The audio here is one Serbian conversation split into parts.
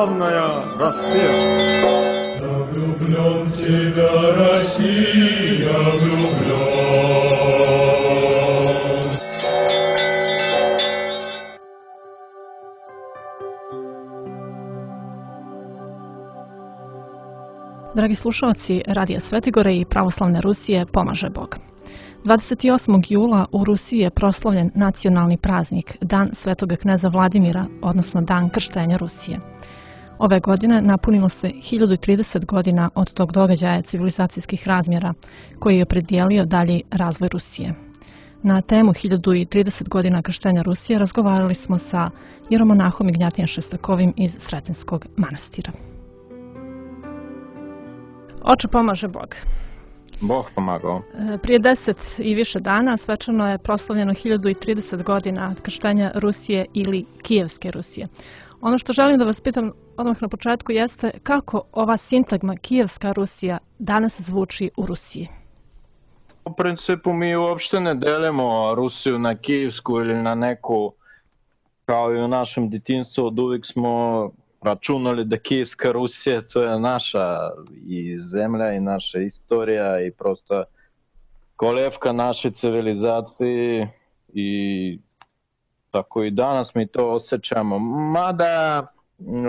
славная Россия. Я влюблен в тебя, Россия, влюблен. Dragi slušalci Radija Svetigore i Pravoslavne Rusije, pomaže Bog. 28. jula u Rusiji je proslavljen nacionalni praznik Dan Svetoga kneza Vladimira, odnosno Dan krštenja Rusije. Ove godine napunilo se 1030 godina od tog događaja civilizacijskih razmjera koji je opredijelio dalji razvoj Rusije. Na temu 1030 godina krštenja Rusije razgovarali smo sa jeromonahom Ignjatijem Šestakovim iz Sretenskog manastira. Oče, pomaže Bog. Bog pomagao. Prije 10 i više dana svečano je proslavljeno 1030 godina od krštenja Rusije ili Kijevske Rusije. Ono što želim da vas pitam odmah na početku jeste kako ova sintagma Kijevska Rusija danas zvuči u Rusiji. U principu mi uopšte ne delimo Rusiju na kijevsku ili na neku, kao i u našem djetinjstvu od uvijek smo računali da Kijevska Rusija to je naša i zemlja i naša istorija i prosto kolevka naše civilizacije i tako i danas mi to osjećamo. Mada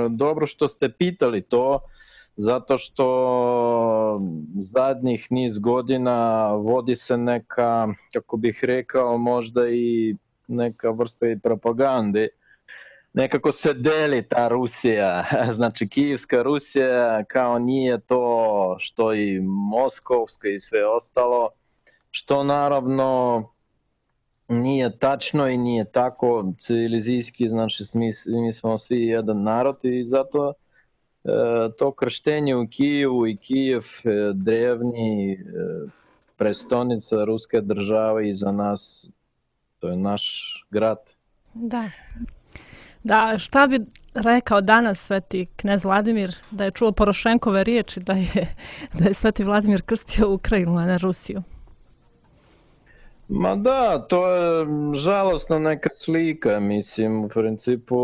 dobro što ste pitali to, zato što zadnjih niz godina vodi se neka, kako bih rekao, možda i neka vrsta i propagande. Nekako se deli ta Rusija, znači Kijevska Rusija kao nije to što i Moskovska i sve ostalo, što naravno nije tačno i nije tako civilizijski, znači mi smo svi jedan narod i zato to krštenje u Kijevu i Kijev drevni prestonica Ruske države i za nas, to je naš grad. Da, šta bi rekao danas sveti knez Vladimir da je čuo Porošenkove riječi da je sveti Vladimir krstio Ukrajinu, a ne Rusiju? Ma da, to je žalostna neka slika, mislim, u principu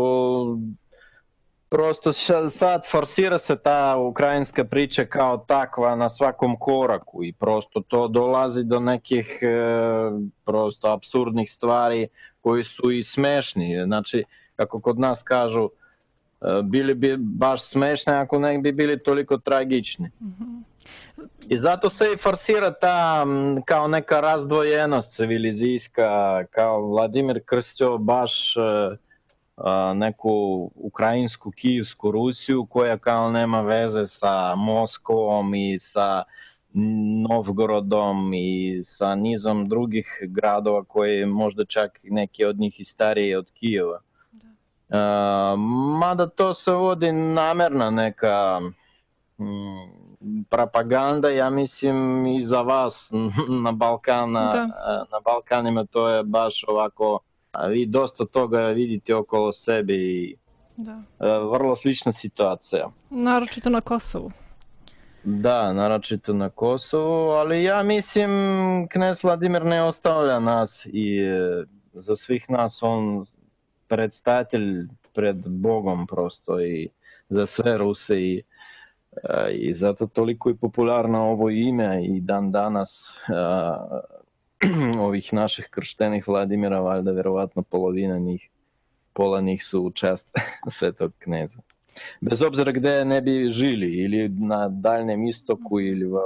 prosto sad forsira se ta ukrajinska priča kao takva na svakom koraku i prosto to dolazi do nekih prosto apsurdnih stvari koji su i smešni, znači kako kod nas kažu, bili bi baš smešni ako ne bi bili toliko tragični. I zato se i forsira ta kao neka razdvojenost civilizijska, kao Vladimir krstio baš neku ukrajinsku, kijevsku Rusiju koja kao nema veze sa Moskvom i sa Novgorodom i sa nizom drugih gradova koji možda čak neki od njih i stariji od Kijeva. Mada to se vodi namjerna neka propaganda, ja mislim i za vas na Balkanima to je baš ovako, vi dosta toga vidite okolo sebe i vrlo slična situacija. Naročito na Kosovu. Da, naročito na Kosovu, ali ja mislim knez Vladimir ne ostavlja nas i za svih nas on predstavitelj pred Bogom prosto i za sve Ruse i zato toliko je popularno ovo ime i dan danas ovih naših krštenih Vladimira, valjda vjerovatno pola njih su u čast svetog kneza. Bez obzira gdje ne bi žili, ili na Daljnjem istoku, ili u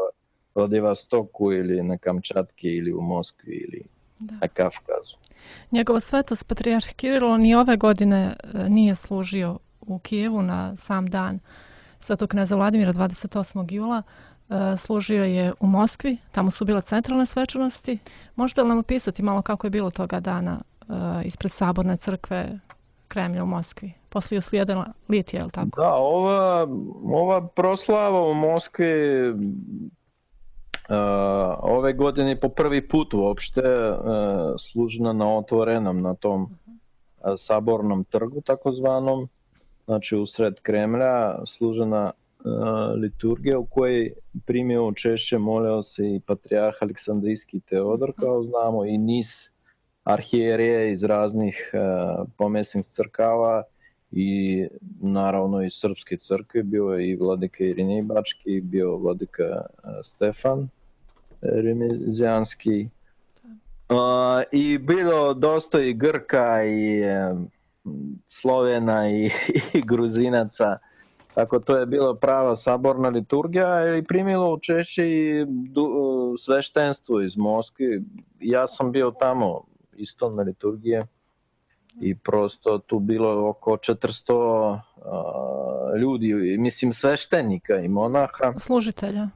Vladivostoku, ili na Kamčatki, ili u Moskvi, ili na Kavkazu. Njegova svetost patrijarh Kirilo ni ove godine nije služio u Kijevu na sam dan svetog kneza Vladimira 28. jula. Služio je u Moskvi, tamo su bile centralne svečanosti. Možete li nam opisati malo kako je bilo toga dana ispred Saborne crkve Kremlja u Moskvi? Poslije uslijedila litija, je li tako? Da, ova proslava u Moskvi ove godine po prvi put uopšte služena na otvorenom, na tom Sabornom trgu takozvanom, znači usred Kremlja služena liturgija u kojoj primio učešće, molio se i patrijarh Aleksandrijski Teodor, kao znamo, i niz arhijerije iz raznih pomjesnih crkava i naravno iz Srpske crkve, bio je i vladika Irinej Bački, bio vladika Stefan Remizjanski. I bilo dosta i Grka i Slovena i Gruzinaca. Tako to je bila prava saborna liturgija i primilo učešće i sveštenstvo iz Moskve. Ja sam bio tamo isto na liturgije i prosto tu bilo oko 400 ljudi, mislim sveštenika i monaha. Služitelja.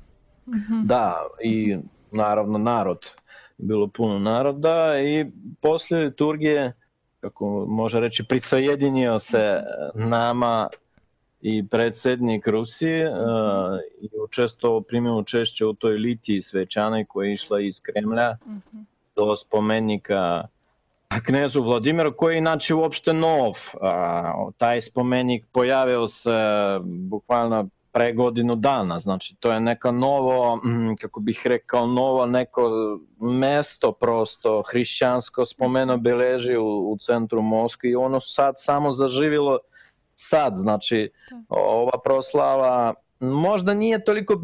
Da, i naravno narod. Bilo puno naroda i posle liturgije, kako može reći, prisajedinio se nama i predsjednik Rusije i primio učešće u toj litiji svečanoj koja je išla iz Kremlja do spomenika knezu Vladimiru, koji je inače uopšte nov. Taj spomenik pojavio se bukvalno pre godinu dana, znači to je neka novo, kako bih rekao, novo neko mesto prosto hrišćansko spomeno beleži u centru Moskve i ono sad samo zaživilo sad, znači ova proslava možda nije toliko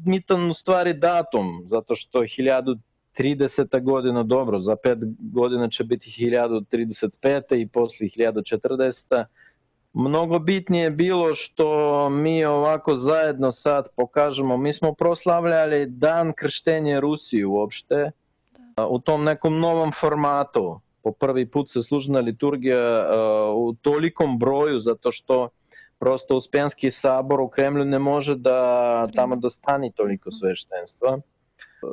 bitan u stvari datum, zato što 1030. godina, dobro, za 5 godina će biti 1035. i posle 1040. Mnogo bitnije je bilo što mi ovako zajedno sad pokažemo, mi smo proslavljali dan krštenja Rusije uopšte u tom nekom novom formatu. Po prvi put se služna liturgija u tolikom broju, zato što prosto Uspenski sabor u Kremlju ne može da tamo dostani toliko sveštenstva.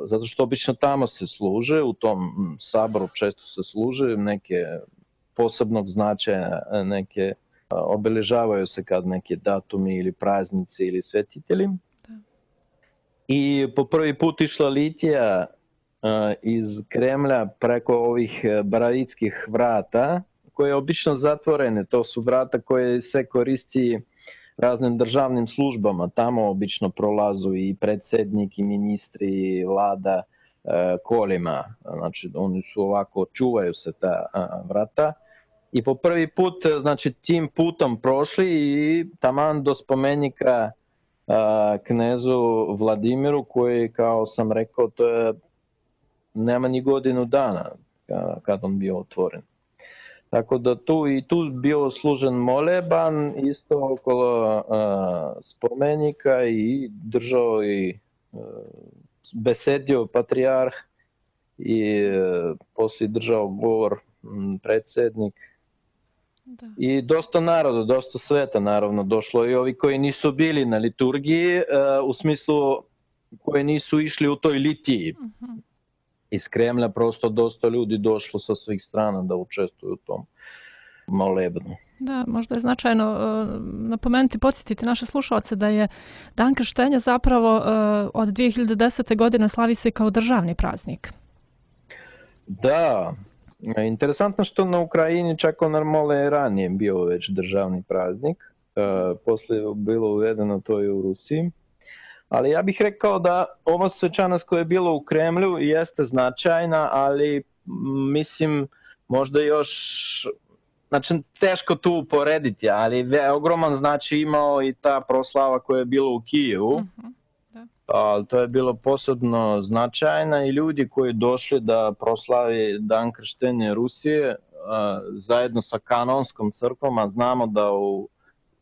Zato što obično tamo se služe, u tom saboru često se služe neke posebnog značaja, neke obeležavaju se kad neke datumi ili praznici ili svetitelji. I po prvi put išla litija iz Kremlja preko ovih Baravitskih vrata, koje je obično zatvorene. To su vrata koje se koristi raznim državnim službama. Tamo obično prolazu i predsjednik, i ministri, i vlada kolima. Znači, oni su ovako, čuvaju se ta vrata. I po prvi put, znači, tim putom prošli i taman do spomenika knezu Vladimiru, koji, kao sam rekao, to je nema ni godinu dana kad on bio otvoren. Tako da tu bio služen moleban isto okolo spomenika i držao i besedio patrijarh i poslije držao govor predsjednik. I dosta naroda, dosta sveta naravno došlo i ovi koji nisu bili na liturgiji, u smislu koji nisu išli u toj litiji. Iz Kremlja prosto dosta ljudi došlo sa svih strana da učestvuju u tom molebnu. Da, možda je značajno napomenuti, podsjetiti naše slušalce da je Dan krštenja zapravo od 2010. godine slavi se kao državni praznik. Da, interesantno što na Ukrajini čak on je ranije bio već državni praznik, poslije je bilo uvedeno to i u Rusiji. Ali ja bih rekao da ova svečanost koja je bila u Kremlju jeste značajna, ali mislim možda još, znači teško tu uporediti, ali ogroman znači imao i ta proslava koja je bila u Kijevu. Ali to je bilo posebno značajna i ljudi koji došli da proslavi Dan krštenja Rusije zajedno sa kanonskom crkvom, a znamo da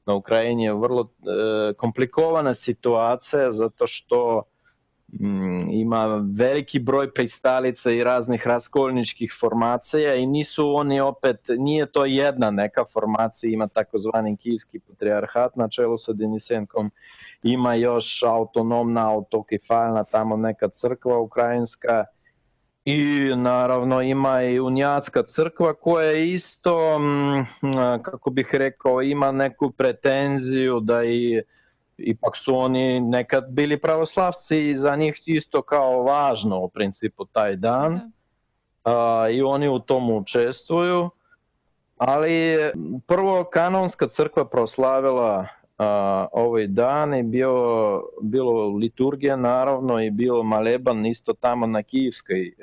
na Ukrajini je vrlo komplikovana situacija zato što ima veliki broj pristalica i raznih raskolničkih formacija i nisu oni opet, nije to jedna neka formacija, ima takozvani Kijevski patrijarhat na čelu sa Denisenkom, ima još autonomna, autokefalna tamo neka crkva ukrajinska i naravno ima i unijatska crkva koja isto, kako bih rekao, ima neku pretenziju da ipak su oni nekad bili pravoslavci i za njih isto kao važno u principu taj dan i oni u tomu učestvuju, ali prvo kanonska crkva proslavila ovaj dan i bilo liturgija naravno i bio maleban isto tamo na Kijevskoj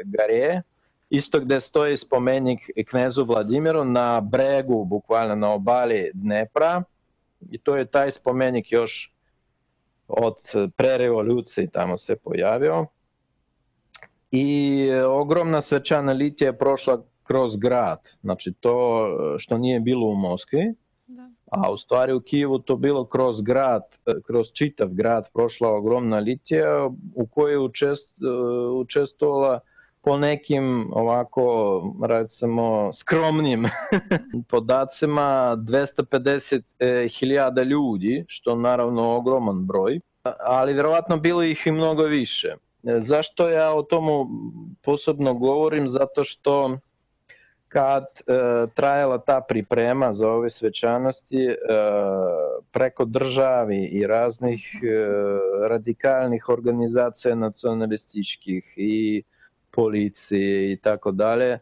gare isto gde stoji spomenik knezu Vladimiru na bregu, bukvalno na obali Dnepra. I to je taj spomenik još od pre revolucije tamo se pojavio. I ogromna svečana litija je prošla kroz grad. Znači to što nije bilo u Moskvi, a u stvari u Kijevu to bilo kroz grad, kroz čitav grad prošla ogromna litija u kojoj je učestvovala po nekim ovako, recimo, skromnim podacima 250.000 ljudi, što naravno ogroman broj, ali vjerovatno bilo ih i mnogo više. Zašto ja o tomu posebno govorim? Zato što kad trajala ta priprema za ove svečanosti preko državi i raznih radikalnih organizacija nacionalističkih i policije i tako dalje,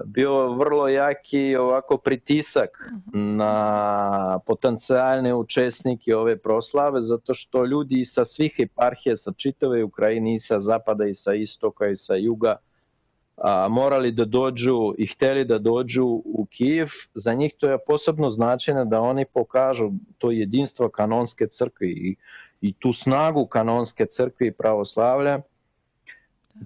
bio vrlo jaki ovako pritisak na potencijalne učesnike ove proslave, zato što ljudi sa svih eparhija, sa čitave Ukrajine, i sa zapada, i sa istoka, i sa juga, morali da dođu i hteli da dođu u Kijev. Za njih to je posebno značajno da oni pokažu to jedinstvo kanonske crkve i tu snagu kanonske crkve i pravoslavlja.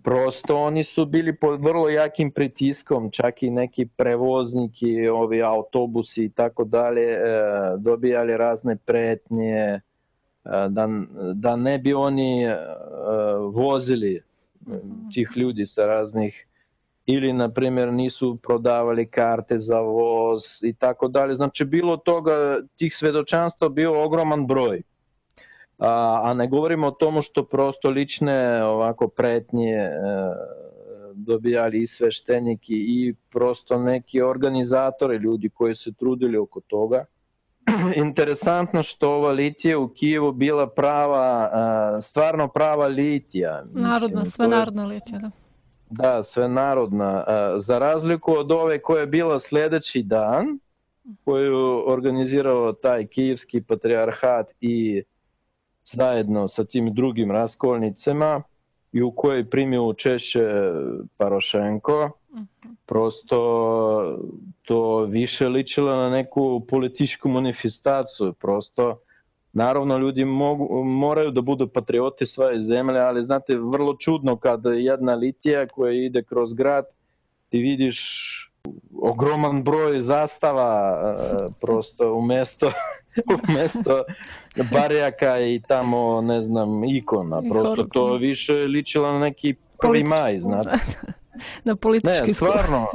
Prosto oni su bili pod vrlo jakim pritiskom, čak i neki prevozniki, ovi autobusi i tako dalje, dobijali razne pretnje, da ne bi oni vozili tih ljudi sa raznih, ili na primjer nisu prodavali karte za voz i tako dalje. Znači bilo toga, tih svedočanstva bio ogroman broj. A ne govorimo o tomu što prosto lične ovako pretnje dobijali i svešteniki i prosto neki organizatori, ljudi koji se trudili oko toga. Interesantno što ova litija u Kijevu bila prava, stvarno prava litija. Narodna, svenarodna litija, da. Da, svenarodna. Za razliku od ove koja je bila sljedeći dan, koju organizirao taj kijevski patrijarhat i zajedno sa tim drugim raskolnicama i u kojoj primio učešće Parošenko, prosto to više ličilo na neku političku manifestaciju. Prosto, naravno, ljudi moraju da budu patrioti svoje zemlje, ali znate, vrlo čudno kad jedna litija koja ide kroz grad, ti vidiš ogroman broj zastava prosto umesto barjaka i tamo, ne znam, ikona. Prosto to više ličilo na neki 1. maj, znate. Na politički skup. Ne, stvarno.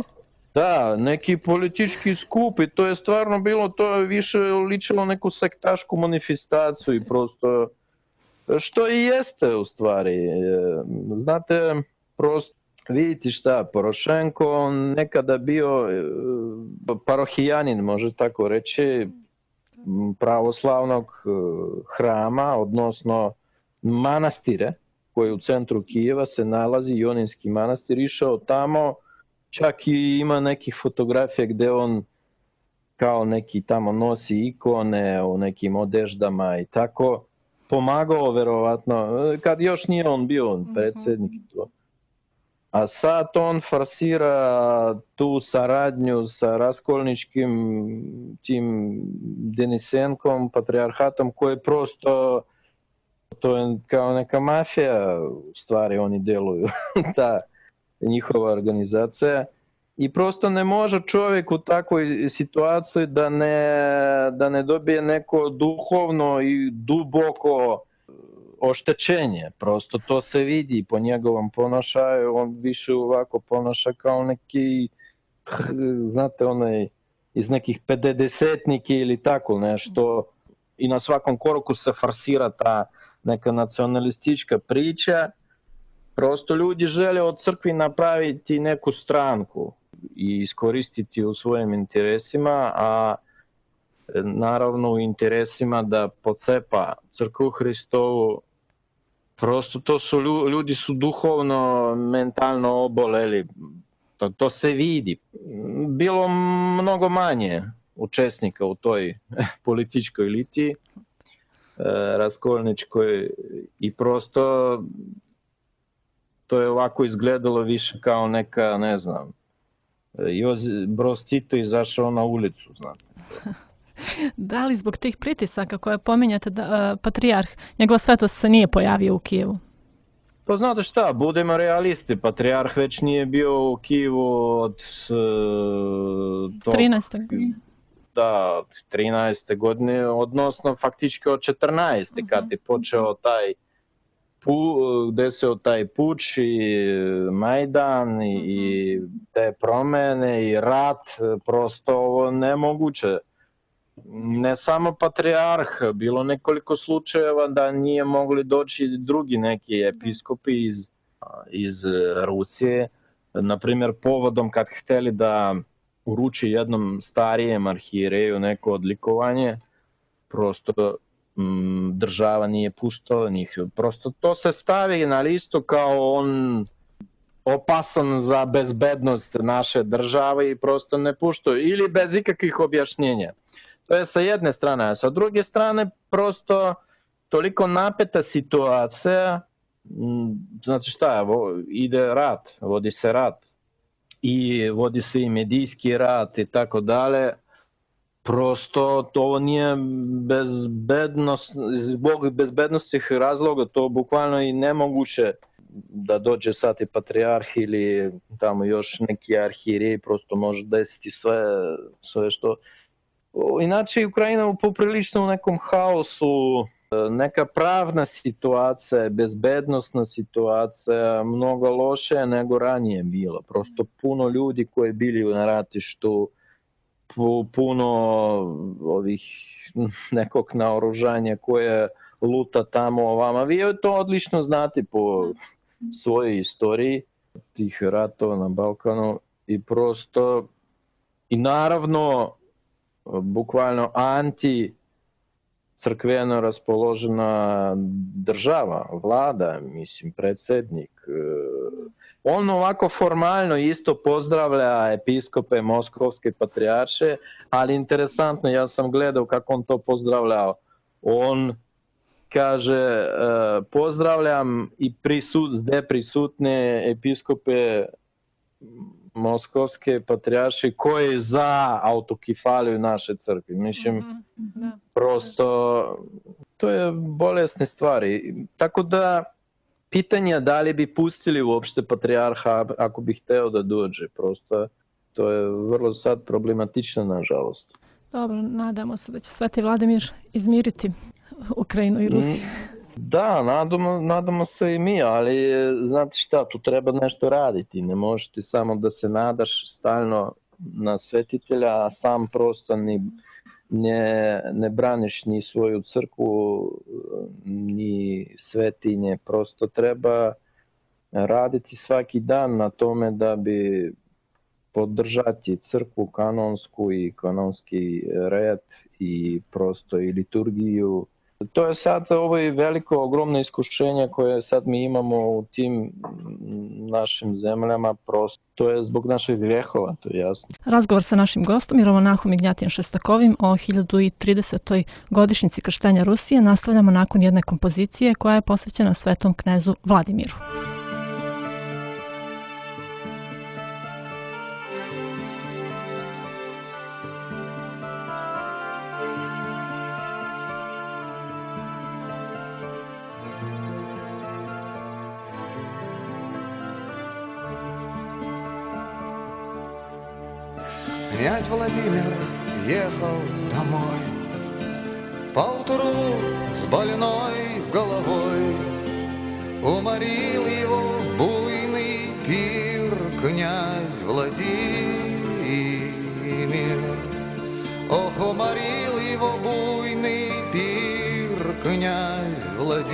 Da, neki politički skup i to je stvarno bilo, to je više ličilo neku sektašku manifestaciju i prosto, što i jeste u stvari. Znate, prosto, vidite šta, Porošenko, on nekada bio parohijanin, može tako reći, pravoslavnog hrama, odnosno manastire, koji u centru Kijeva se nalazi, Joninski manastir, išao tamo, čak i ima nekih fotografija gde on kao neki tamo nosi ikone u nekim odeždama i tako, pomagao verovatno, kad još nije on bio predsjednik to. A sad on forsira tu saradnju sa raskolničkim tim Denisenkom, patrijarhatom, koji prosto, to je kao neka mafija, u stvari oni deluju, ta njihova organizacija. I prosto ne može čovjek u takvoj situaciji da ne dobije neko duhovno i duboko oštećenje. Prosto to se vidi po njegovom ponašaju, on više ovako ponaša kao neki, znate, onaj iz nekih 50-tniki ili tako nešto. I na svakom koraku se forsira ta neka nacionalistička priča. Prosto ljudi žele od crkvi napraviti neku stranku i iskoristiti u svojim interesima, a naravno u interesima da pocepa crkvu Hristovu. Prosto to su ljudi su duhovno, mentalno oboleli. To se vidi. Bilo mnogo manje učesnika u toj političkoj litiji, raskolničkoj, i prosto to je ovako izgledalo više kao neka, ne znam, Broz Tito izašao na ulicu, znate. Da li zbog tih pritisaka koje pominjate da patrijarh, njegova svetost se nije pojavio u Kijevu? Pa znate šta, budemo realisti, patrijarh već nije bio u Kijevu od 13. Da, 13. godine, odnosno faktički od 14. kad je počeo taj desio taj puč i Majdan i te promene i rat, prosto ovo nemoguće. Ne samo patrijarh, bilo nekoliko slučajeva da nije mogli doći drugi neki episkopi iz Rusije. Naprimjer, povodom kad hteli da uruči jednom starijem arhijereju neko odlikovanje, prosto država nije puštala njih. Prosto to se stavi na listu kao on opasan za bezbednost naše države i prosto ne puštaju. Ili bez ikakvih objašnjenja. To je sa jedne strane, a sa druge strane prosto toliko napeta situacija, znači šta, ide rat, vodi se rat i vodi se i medijski rat i tako dalje. Prosto to nije zbog bezbednostnih razloga, to bukvalno i nemoguće da dođe sad i patrijarh ili tamo još neki arhijerej, prosto može desiti sve što... Inače, Ukrajina je poprilično u nekom haosu, neka pravna situacija, bezbednostna situacija, mnogo loše nego ranije bila. Prosto puno ljudi koji bili na ratištu, puno ovih nekog naoružanja koje luta tamo ovama. Vi to odlično znate po svojoj istoriji tih ratova na Balkanu i prosto i naravno bukvalno anti-crkveno raspoložena država, vlada, mislim, predsjednik. On ovako formalno isto pozdravlja episkope Moskovske patrijarše, ali interesantno, ja sam gledao kako on to pozdravljao. On kaže, pozdravljam i prisutne episkope Moskovske patrijarše koji je za autokefaliju naše crkve. Mislim, prosto to je bolesne stvari. Tako da pitanje da li bi pustili uopšte patrijarha ako bi hteo da dođe. Prosto to je vrlo sad problematično, nažalost. Dobro, nadamo se da će Sveti Vladimir izmiriti Ukrajinu i Rusiju. Da, nadamo se i mi, ali znate šta, tu treba nešto raditi. Ne možeš ti samo da se nadaš stalno na svetitelja, a sam prosto ne braniš ni svoju crkvu, ni svetinje. Prosto treba raditi svaki dan na tome da bi podržati crkvu kanonsku i kanonski red i prosto i liturgiju. To je sad ovo i veliko, ogromno iskušenje koje sad mi imamo u tim našim zemljama, prosto to je zbog naših grehova, to je jasno. Razgovor sa našim gostom, Jeromonahom Ignjatijem Šestakovim o 1030. godišnjici krštenja Rusije nastavljamo nakon jedne kompozicije koja je posvećena svetom knezu Vladimiru. Князь Владимир ехал домой поутру с больной головой. Уморил его буйный пир князь Владимир. Ох, уморил его буйный пир князь Владимир.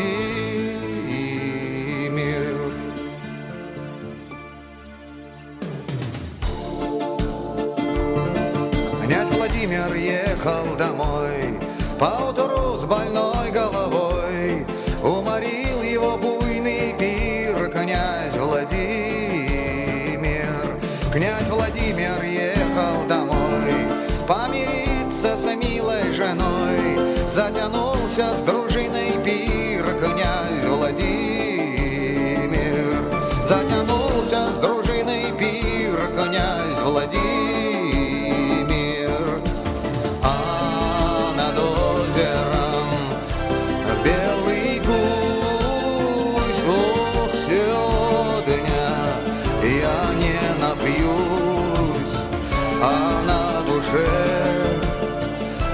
Князь Владимир ехал домой поутру с больной головой. Уморил его буйный пир князь Владимир. Князь Владимир ехал домой помириться с милой женой. Затянулся с дружиной пир князь Владимир.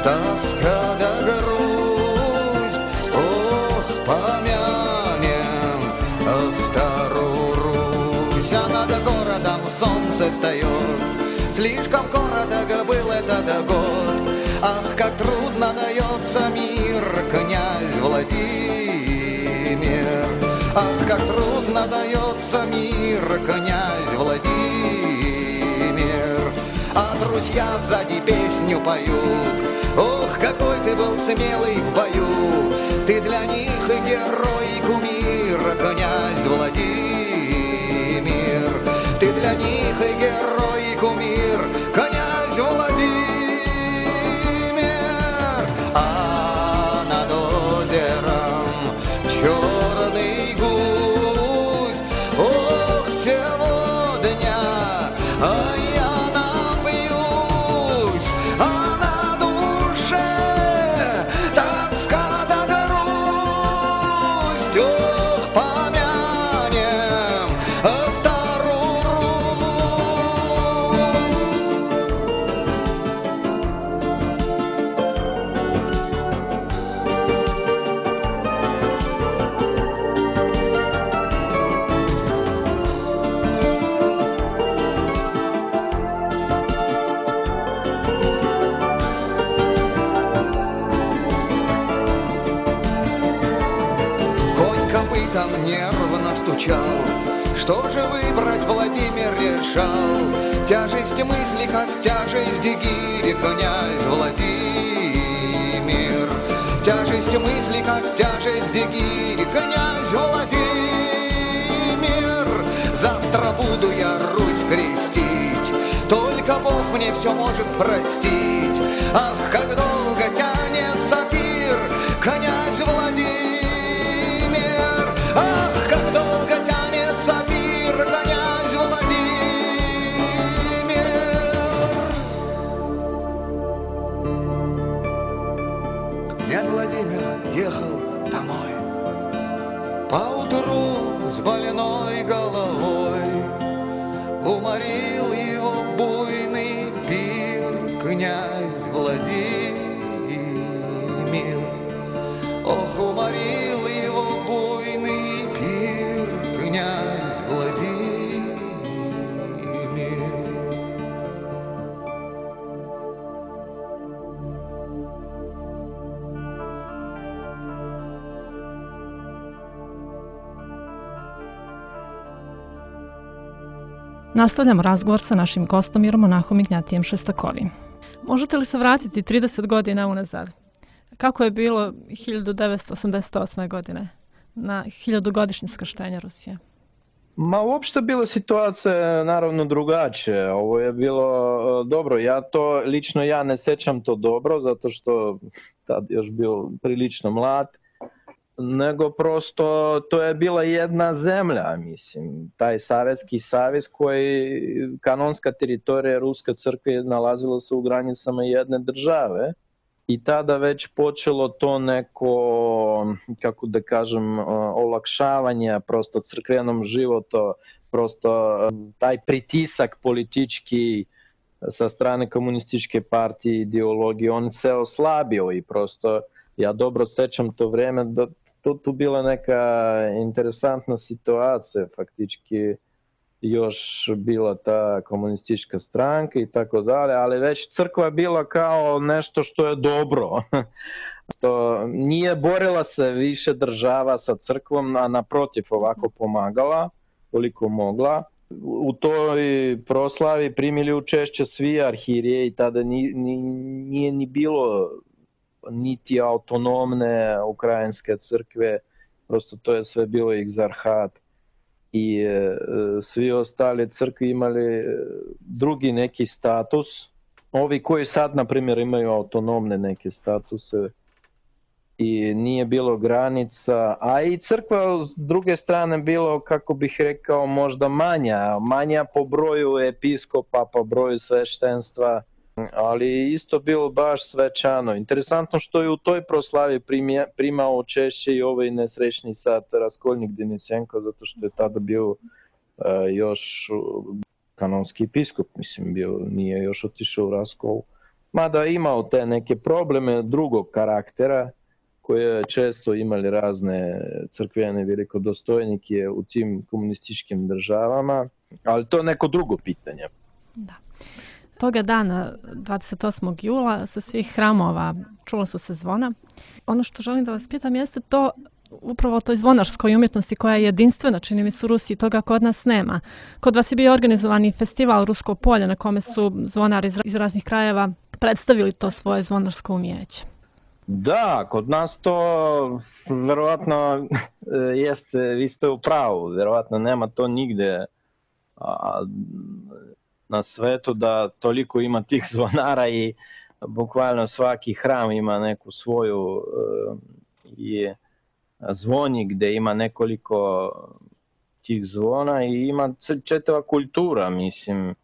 тоска да грусть. Ох, помянем старую Русь. А над городом солнце встает, слишком короток был этот год. Ах, как трудно дается мир, князь Владимир. Ах, как трудно дается мир, князь Владимир. А друзья сзади песню поют. Ох, какой ты был смелый в бою. Ты для них и герой, и кумир, князь Владимир. Ты для них и герой, и кумир, князь Владимир. А над озером черный гусь. Ох, сегодня я напьюсь, а на душе тоска да грусть. Ох, помянем старую Конь копытом нервно стучал. Что же выбрать, Владимир решал. Тяжесть мысли, как тяжесть гири, князь Владимир. Тяжесть мысли, как тяжесть гири, князь Владимир. Завтра буду я Русь крестить, только Бог мне все может простить. Ах, как долго тянется пир, князь Владимир. Ах, как долго тянется пир, князь Владимир. Князь Владимир ехал домой поутру с больной головой. Уморил его буйный пир, князь Владимир. Ох, уморил его буйный пир, князь Владимир. Nastavljamo razgovor sa našim gostom monahom Ignjatijem Šestakovim. Možete li se vratiti 30 godina unazad? Kako je bilo 1988. godine na 1000-godišnje skrštenje Rusije? Ma uopšte bila situacija naravno drugačije. Ovo je bilo dobro. Lično ja ne sećam to dobro, zato što tad još bio prilično mlad. Nego prosto to je bila jedna zemlja, mislim. Taj Savjetski savez koji, kanonska teritorija Ruske crkve nalazila se u granicama jedne države. I tada već počelo to neko, kako da kažem, olakšavanje prosto crkvenom životu, prosto taj pritisak politički sa strane komunističke partije, ideologije, on se oslabio i prosto ja dobro sećam to vreme da tu bila neka interesantna situacija, faktički još bila ta komunistička stranka i tako dalje, ali već crkva bila kao nešto što je dobro. To nije borila se više država sa crkvom, a naprotiv ovako pomagala koliko mogla. U toj proslavi primili učešće svi arhirije i tada nije ni bilo niti autonomne ukrajinske crkve, prosto to je sve bilo egzarhat. I svi ostali crkvi imali drugi neki status. Ovi koji sad, na primjer, imaju autonomne neke statuse i nije bilo granica, a i crkva s druge strane bilo, kako bih rekao, možda manja po broju episkopa, po broju sveštenstva, ali isto bilo baš svečano. Interesantno što je u toj proslavi primao učešće i ovaj nesrećni sad Raskolnik Denisenko, zato što je tada bio još kanonski episkop, mislim, nije još otišao u Raskol, mada imao te neke probleme drugog karaktera, koje često imali razne crkvene velikodostojnike u tim komunističkim državama, ali to je neko drugo pitanje. Da. Toga dana, 28. jula, sa svih hramova čula su se zvona. Ono što želim da vas pitam jeste to upravo o toj zvonarskoj umjetnosti koja je jedinstvena, čini mi se u Rusiji, toga kod nas nema. Kod vas je bio organizovani festival Rusko polje na kome su zvonari iz raznih krajeva predstavili to svoje zvonarsko umijeće. Da, kod nas to verovatno jeste, vi ste u pravu, verovatno nema to nigde na svetu da toliko ima tih zvonara i bukvalno svaki hram ima neku svoju i zvoni gde ima nekoliko tih zvona i ima četava kultura, mislim.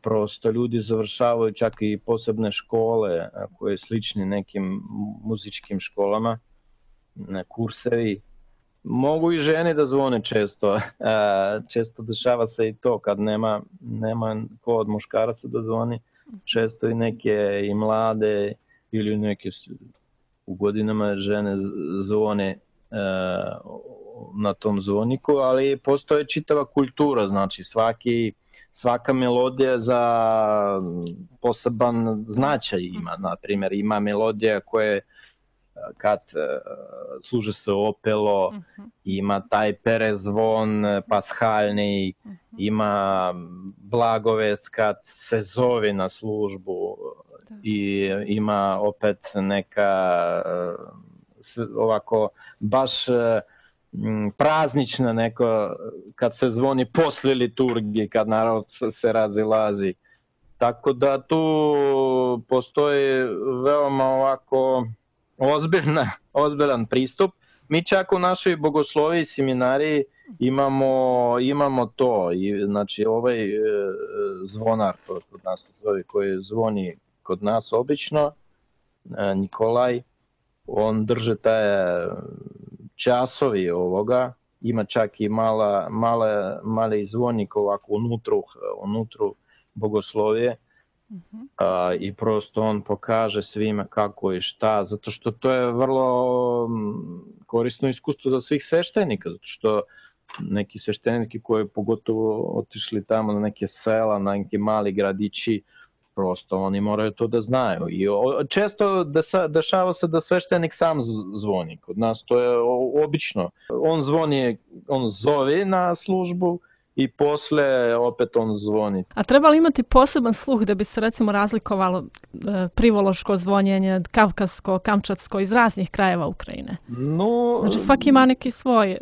Prosto ljudi završavaju čak i posebne škole koje slične nekim muzičkim školama, kursevi. Mogu i žene da zvone često. Često dešava se i to kad nema ko od muškaraca da zvoni. Često i neke i mlade ili neke u godinama žene zvone na tom zvoniku, ali postoje čitava kultura, znači svaka melodija za poseban značaj ima. Naprimjer, ima melodija koje kad služe se opelo, ima taj perezvon pashalni, ima blagovest kad se zove na službu i ima opet neka ovako baš praznična neko kad se zvoni posle liturgije, kad narod se razilazi. Tako da tu postoji veoma ovako ozbiljan pristup. Mi čak u našoj bogosloviji seminariji imamo to. Znači ovaj zvonar, to kod nas zove, koji zvoni kod nas obično, Nikolaj, on drže taj časovi ovoga, ima čak i mali zvonik ovako unutru bogoslovije i prosto on pokaže svima kako i šta, zato što to je vrlo korisno iskustvo za svih sveštenika, zato što neki svešteniki koji pogotovo otišli tamo na neke sela, na neke mali gradići, prosto oni moraju to da znaju. I često dešava se da sveštenik sam zvoni. Kod nas to je obično. On zove na službu i posle opet on zvoni. A treba li imati poseban sluh da bi se recimo razlikovalo privološko zvonjenje od kavkasko, kamčatsko iz raznih krajeva Ukrajine? Znači svaki ima neki svoj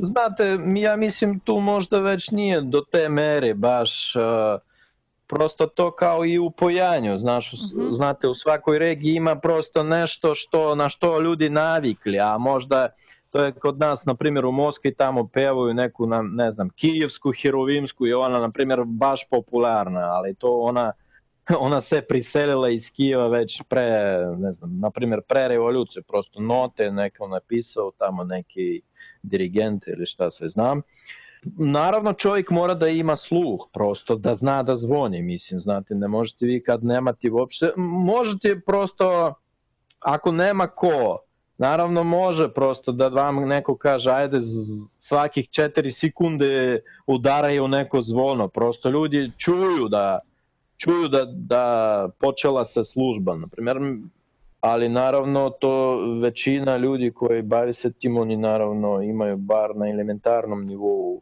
znate, ja mislim tu možda već nije do te mere baš. Prosto to kao i u pojanju, znate, u svakoj regiji ima prosto nešto na što ljudi navikli, a možda to je kod nas, na primjer u Moskvi tamo pevaju neku, ne znam, kijevsku, herovimsku i ona, na primjer, baš popularna, ali to ona se priselila iz Kijeva već ne znam, na primjer pre revolucije, prosto note neko napisao, tamo neki dirigent ili šta sve znam. Naravno čovjek mora da ima sluh, prosto da zna da zvoni, mislim, znate, ne možete vi kad nemate uopšte, možete prosto, ako nema ko, naravno može prosto da vam neko kaže, ajde svakih 4 sekunde udaraju neko zvono, prosto ljudi čuju da počela se služba, na primjer, ali naravno to većina ljudi koji bavi se tim, oni naravno imaju bar na elementarnom nivou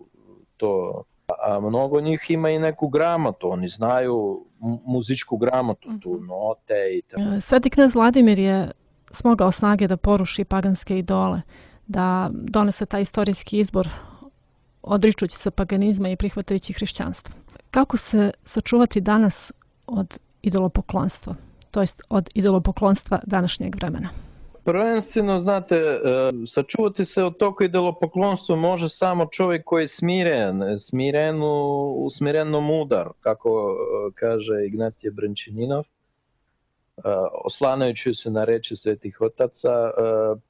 to, a mnogo njih ima i neku gramotu, oni znaju muzičku gramotu, tu note i tako. Sveti knez Vladimir je smogao snage da poruši paganske idole, da donese taj istorijski izbor odričući se paganizma i prihvatajući hrišćanstvo. Kako se sačuvati danas od idolopoklonstva, to jest od idolopoklonstva današnjeg vremena? Prvenstveno, znate, sačuvati se od tog idolopoklonstva može samo čovjek koji je smireno mudar, kako kaže Ignatije Brančaninov, oslanajući se na reči svetih otaca.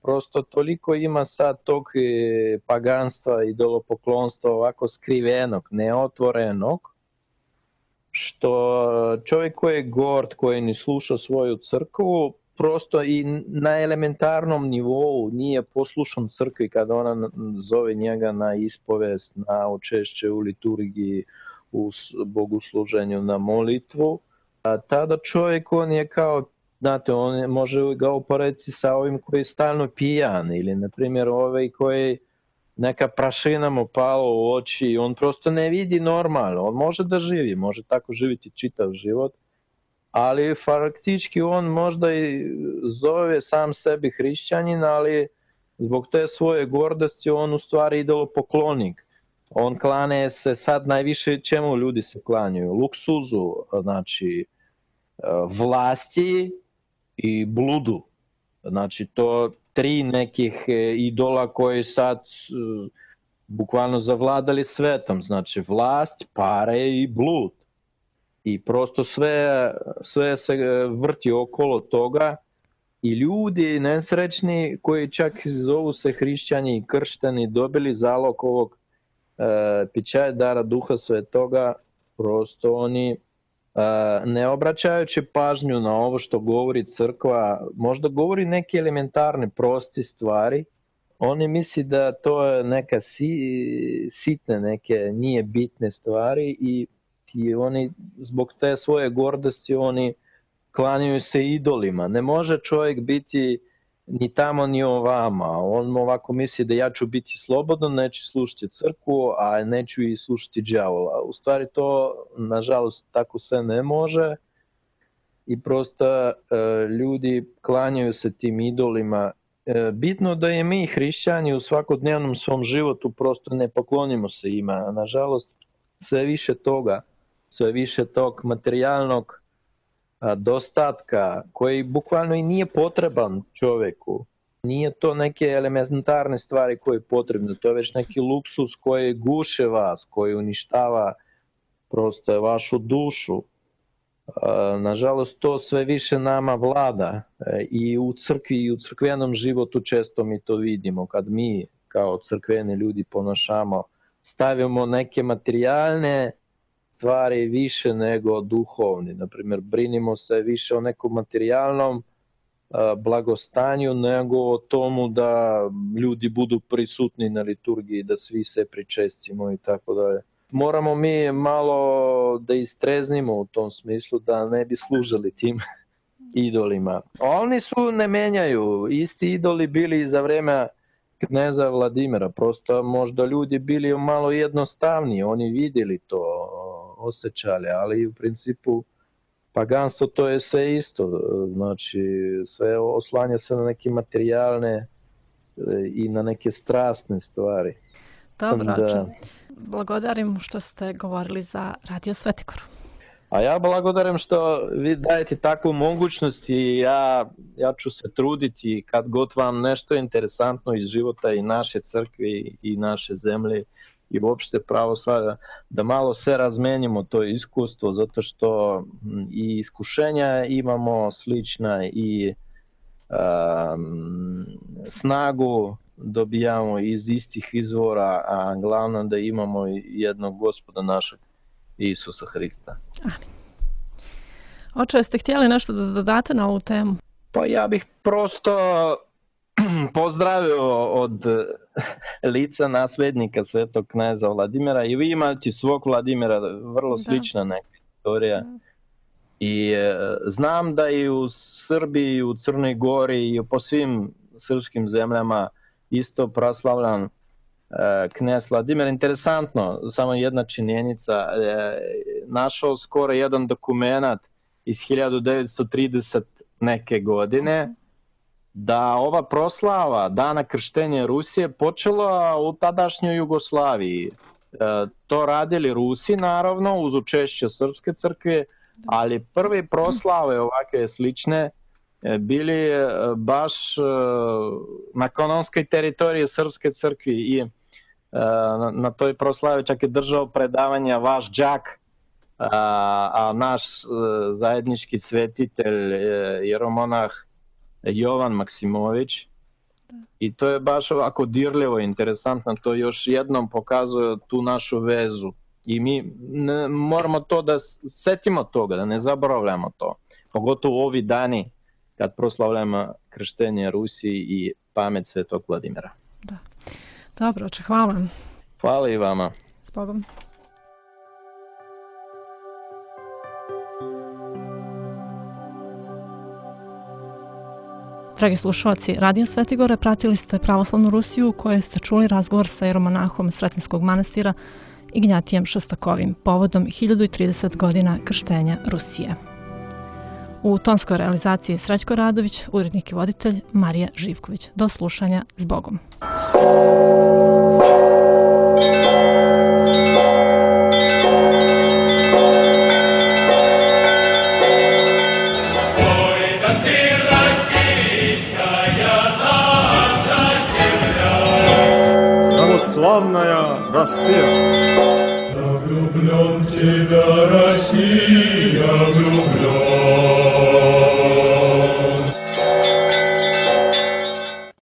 Prosto toliko ima sad tog paganstva, idolopoklonstva ovako skrivenog, neotvorenog, što čovjek koji je gord, koji ne sluša svoju crkvu, prosto i na elementarnom nivou nije poslušan crkvi kada ona zove njega na ispovest, na učešće u liturgiji, u bogosluženju, na molitvu. A tada čovjek, on je kao, znate, on može ga uporediti sa ovim koji je stalno pijan, ili na primjer ovaj koji neka prašina mu pala u oči i on prosto ne vidi normalno. On može da živi, može tako živjeti čitav život, ali faktički on možda i zove sam sebi hrišćanin, ali zbog te svoje gordosti on u stvari idolopoklonik. On klane se sad najviše čemu ljudi se klanjaju? Luksuzu, znači vlasti i bludu. Znači to tri nekih idola koji sad bukvalno zavladali svetom. Znači vlast, pare i blud. I prosto sve se vrti okolo toga i ljudi nesrećni koji čak zovu se hrišćani i kršteni dobili zalog ovog pića dara Duha Svetoga, prosto oni ne obraćajući pažnju na ovo što govori crkva, možda govori neke elementarne proste stvari, oni misli da to je neka sitne, neke nije bitne stvari i oni zbog te svoje gordosti oni klanjaju se idolima. Ne može čovjek biti ni tamo ni ovama. On ovako misli da ja ću biti slobodan, neću slušati crkvu, a neću i slušati đavola. U stvari to, nažalost, tako se ne može i prosto ljudi klanjaju se tim idolima. Bitno da je mi hrišćani u svakodnevnom svom životu prosto ne poklonimo se ima. Nažalost, sve više toga, sve više tog materijalnog dostatka koji bukvalno i nije potreban čovjeku. Nije to neke elementarne stvari koje je potrebno, to je već neki luksus koji guše vas, koji uništava prosto vašu dušu. Nažalost, to sve više nama vlada i u crkvi i u crkvenom životu često mi to vidimo, kad mi kao crkveni ljudi ponašamo, stavimo neke materijalne stvari više nego duhovni. Naprimjer, brinimo se više o nekom materijalnom blagostanju nego o tomu da ljudi budu prisutni na liturgiji, da svi se pričestimo i tako dalje. Moramo mi malo da istreznimo u tom smislu da ne bi služili tim idolima. Oni su ne menjaju, isti idoli bili za vreme kneza Vladimira, prosto možda ljudi bili malo jednostavniji, oni vidjeli to, osjećali, ali u principu paganstvo to je sve isto, znači sve oslanja se na neke materijalne i na neke strasne stvari. Dobro, blagodarim što ste govorili za Radio Svetigoru. A ja blagodarim što vi dajete takvu mogućnost i ja ću se truditi kad god vam nešto interesantno iz života i naše crkve i naše zemlje i uopšte pravoslavlja, da malo se razmenimo to iskustvo, zato što i iskušenja imamo slična i snagu dobijamo iz istih izvora, a glavno da imamo jednog Gospoda našeg Isusa Hrista. Amin. Oče, jeste htjeli nešto da dodate na ovu temu? Pa ja bih prosto pozdravio od lica naslednika svetog kneza Vladimira i vi imate svog Vladimira, vrlo slična neka istorija. I znam da i u Srbiji, u Crnoj Gori i po svim srpskim zemljama isto proslavljan knez Vladimir. Interesantno, samo jedna činjenica, našao skoro jedan dokumenat iz 1930 neke godine, da ova proslava Dana krštenja Rusije počela u tadašnjoj Jugoslaviji. To radili Rusi, naravno, uz učešće Srpske crkve, ali prve proslave ovakve slične bili baš na kanonskoj teritoriji Srpske crkve i na toj proslavi čak je držao predavanja vaš đak, a naš zajednički svetitelj jeromonah Jovan Maksimović. I to je baš ovako dirljivo, interesantno, to još jednom pokazuje tu našu vezu I mi moramo to da setimo toga, da ne zaboravljamo to. Pogotovo ovi dani kad proslavljamo krštenje Rusiji i pamet Svetog Vladimira. Da. Dobro, oče, hvala. Hvala i vama. S Bogom. Dragi slušalci, Radio Svetigore, pratili ste Pravoslavnu Rusiju u kojoj ste čuli razgovor sa jeromonahom Sretenskog manastira Ignjatijem Šostakovim povodom 1030 godina krštenja Rusije. U tonskoj realizaciji Srećko Radović, urednik i voditelj Marija Živković. Do slušanja, s Bogom. Православная Россия. Я влюблен в тебя, Россия.